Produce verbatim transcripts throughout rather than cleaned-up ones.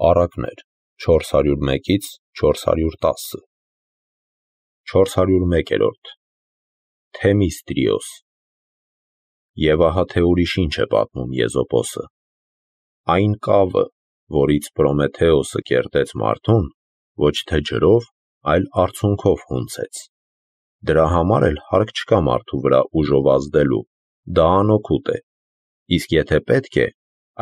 Առակներ չորս հարյուր մեկից չորս հարյուր տասը չորս հարյուր մեկերորդ Թեմիստրիոս Եվ ահա թե ուրիշ ինչ է պատմում Եզոպոսը. այն կավը, որից Պրոմեթեոսը կերտեց մարդուն, ոչ թե ջրով, այլ արցունքով հունցեց. դրա համար էլ հարկ չկա մարդու վրա ուժով ազդելու, դա անօգուտ է, իսկ եթե պետք է,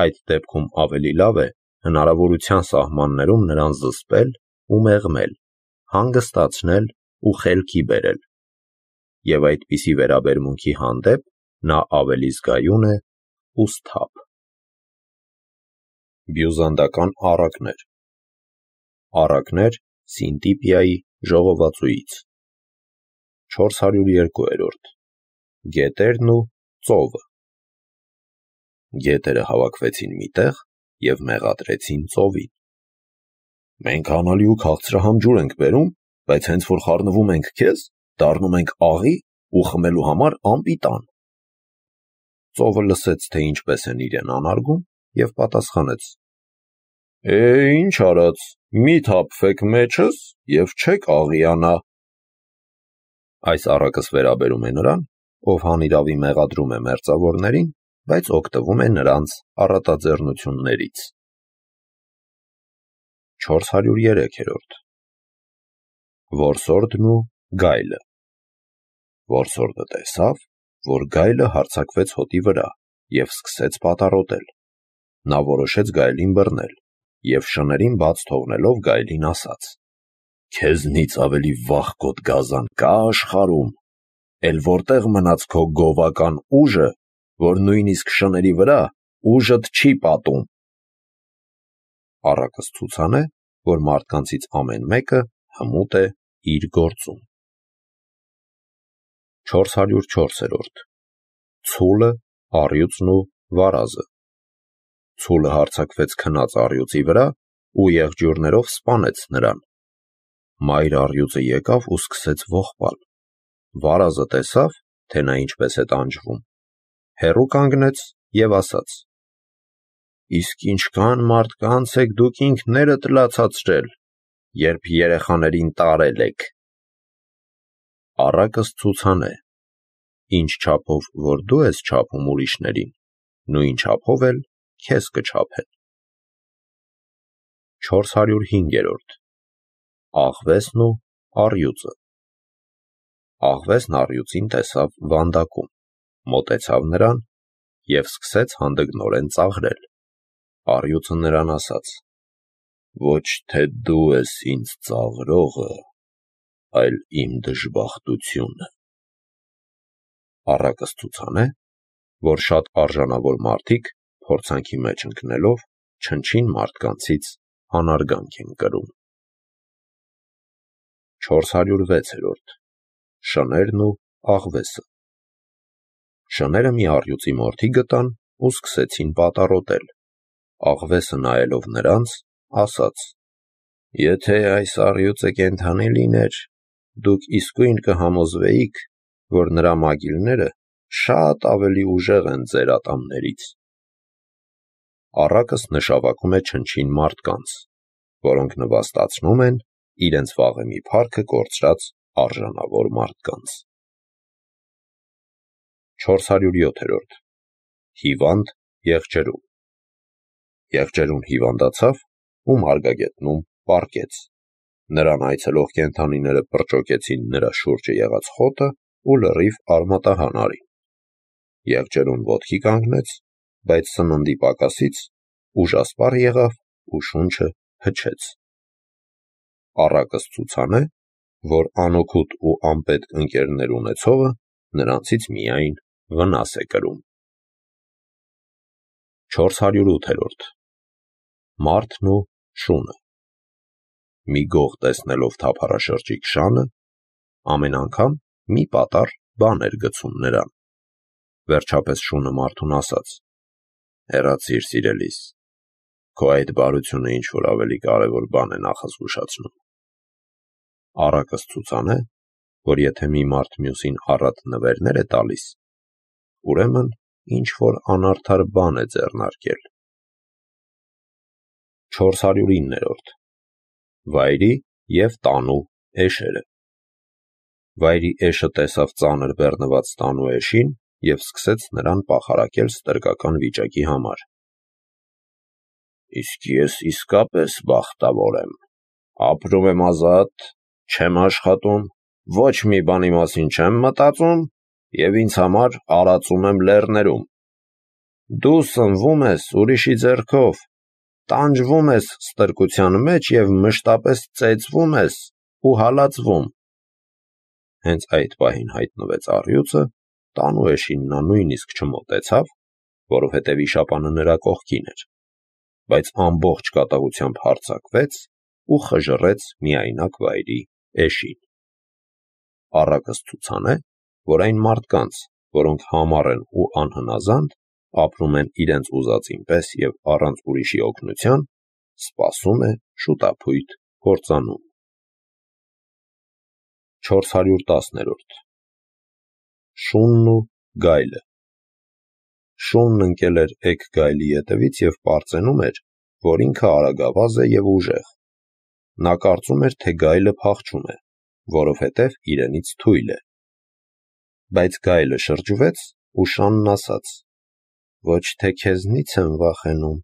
այդ դեպքում ավելի լավ է հնարավորության սահմաններում նրան զսպել ու մեղմել, հանգստացնել ու խելքի բերել, և այդպիսի վերաբերմունքի հանդեպ նա ավելի զգայուն է ու սթափ։ Բյուզանդական առակներ Առակներ Սինտիպիայի ժողովածուից չորս հարյուր երկուերորդ Գետերն ու ծովը Գետերը հավաքվեցին մի տեղ և մեղադրեցին ծովին. Մենք անալի ու քաղցրահամ ջուր ենք բերում, բայց հենց որ խառնվում ենք քեզ, դառնում ենք աղի ու խմելու համար անպիտան։ Ծովը լսեց, թե ինչպես են իրեն անարգում, և պատասխանեց. Է, ինչ արած, մի թափվեք մեջս և չեք աղիանա։ Այս առակս վերաբերում է նրան, ով հանիրավի մեղադրում է մերձավորներին, բայց օգտվում է նրանց առատաձեռնություններից։ չորս հարյուր երեքերորդ Որսորդն ու գայլը Որսորդը տեսավ, որ գայլը հարձակվեց հոտի վրա և սկսեց պատառոտել։ Նա որոշեց գայլին բռնել և շներին բաց թողնելով գայլին ասաց. Քեզնից ավելի վախկոտ գազան կա՞ աշխարհում, էլ որտե՞ղ մնաց քո գովական ուժը, որ նույնիսկ շների վրա ուժդ չի պատում։ Առակս ցուցան է, որ մարդկանցից ամեն մեկը հմուտ է իր գործում։ չորս հարյուր չորսերորդ Ցուլը, առյուծն ու վարազը Ցուլը հարձակվեց քնած առյուծի վրա ու եղջյուրներով սպանեց նրան։ Մայր առյուծը եկավ ու սկսեց ողբալ։ Վարազը տեսավ, թե նա ինչպես է տանջվում, հեռու կանգնեց և ասաց. Իսկ ինչքան մարդկանց եք դուք ինքներդ լացացրել, երբ երեխաներին տարել եք։ Առակս ցուցան է. ինչ չափով որ դու ես չափում ուրիշներին, նույն չափով էլ քեզ կչափեն։ չորս հարյուր հինգերորդ Աղվեսն ու առյուծը Աղվեսն առյուծին տեսավ վանդակում, մոտեցավ նրան և սկսեց հանդգնորեն ծաղրել։ Առյուծը նրան ասաց. Ոչ թե դու ես ինձ ծաղրողը, այլ իմ դժբախտությունը։ Առակս ցուցան է, որ շատ արժանավոր մարդիկ փորձանքի մեջ ընկնելով չնչին մարդկանցից անարգանք են կրում։ չորս հարյուր վեցերորդ Շներն ու աղվեսը Շները մի առյուծի մորթի գտան ու սկսեցին պատառոտել։ Աղվեսը նայելով նրանց, ասաց. Եթե այս առյուծը կենդանի լիներ, դուք իսկույն կհամոզվեիք, որ նրա մագիլները շատ ավելի ուժեղ են ձեր ատամներից։ Առակս նշավակում է չնչին մարդկանց, որոնք նվաստացնում են իրենց վաղեմի փառքը կորցրած արժանավոր մարդկանց։ չորս հարյուր յոթերորդ Հիվանդ եղջերու Եղջերուն հիվանդացավ ու մարգագետնում պառկեց։ Նրան այցելող կենդանիները պրճոկեցին նրա շուրջը եղած խոտը ու լրիվ արմատահան արին։ Եղջերուն ոտքի կանգնեց, բայց սննդի պակասից ուժասպառ եղավ ու շունչը հչեց։ Առակս ցուցան է, որ անօգուտ ու անպետք ընկերներ ունեցողը նրանցից միայն վնաս է կրում։ չորս հարյուր ութերորդ Մարդն ու շունը Մի գող տեսնելով թափառաշրջիկ շանը, ամեն անգամ մի պատառ բան էր գցում նրան։ Վերջապես շունը մարդուն ասաց. Հեռացիր, սիրելիս, քո այդ բարությունը ինչ-որ ավելի կարևոր բան է նախազգուշացնում։ Առակս ցուցան է, որ եթե մի մարդ մյուսին առատ նվերներ է տալիս, ուրեմն ինչ-որ անարդար բան է ձեռնարկել։ չորս հարյուր իններորդ. Վայրի և տանու էշերը։ Վայրի էշը տեսավ ծանր բեռնված տանու էշին և սկսեց նրան պախարակել ստրկական վիճակի համար։ «Իսկ ես իսկապես բախտավոր եմ, ապրում եմ ազատ, չեմ աշխատում, ոչ մի բանի մասին չեմ մտածում և ինձ համար արածում եմ լեռներում։ Դու սնվում ես ուրիշի ձեռքով, տանջվում ես ստրկության մեջ և մշտապես ծեծվում ես ու հալածվում»։ Հենց այդ պահին հայտնվեց առյուծը, տանու էշին նա նույնիսկ չմոտեցավ, որովհետև վիշապանը նրա կողքին էր, բայց ամբողջ կատաղությամբ հարձակվեց ու խժռեց միայնակ վայրի էշին։ Առակս ցուցան է, որ այն մարդկանց, որոնք համառ են ու անհնազանդ, ապրում են իրենց ուզածին պես և առանց ուրիշի օգնության, սպասում է շուտափույթ կործանում։ չորս հարյուր տասներորդ. Շունն ու գայլը։ Շունն ընկել էր էգ գայլի ետևից և պարծենում էր, որ ինքը արագավազ է և ուժեղ։ Նա կարծում էր, թե գայլը փախչում է, որովհետև իրենից թույլ է։ Բայց գայլը շրջվեց ու շանն ասաց. «Ոչ թե քեզնից եմ վախենում,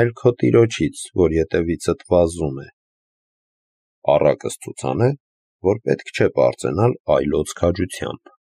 այլ քո տիրոջից, որ ետևիցդ վազում է»։ Առակս ցուցան է, որ պետք չէ պարծենալ այլոց քաջությամբ։